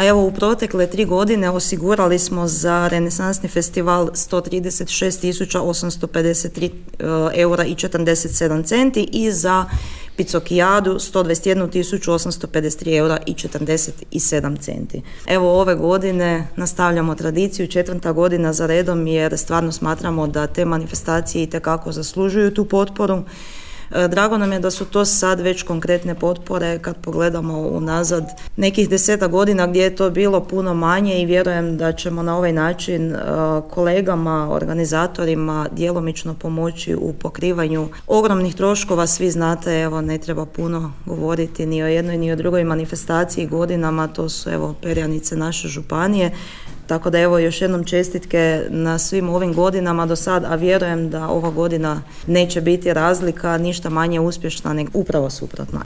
evo u protekle 3 godine osigurali smo za Renesansni festival 136.853 eura i 47 centi i za Picokijadu 121.853 eura i 47 centi. Evo ove godine nastavljamo tradiciju, 4. godina za redom, jer stvarno smatramo da te manifestacije itekako zaslužuju tu potporu. Drago nam je da su to sad već konkretne potpore kad pogledamo unazad nekih 10 godina gdje je to bilo puno manje i vjerujem da ćemo na ovaj način kolegama, organizatorima djelomično pomoći u pokrivanju ogromnih troškova. Svi znate, evo ne treba puno govoriti ni o jednoj ni o drugoj manifestaciji godinama, to su evo perjanice naše županije. Tako da evo još jednom čestitke na svim ovim godinama do sad, a vjerujem da ova godina neće biti razlika, ništa manje uspješna, nego upravo suprotno.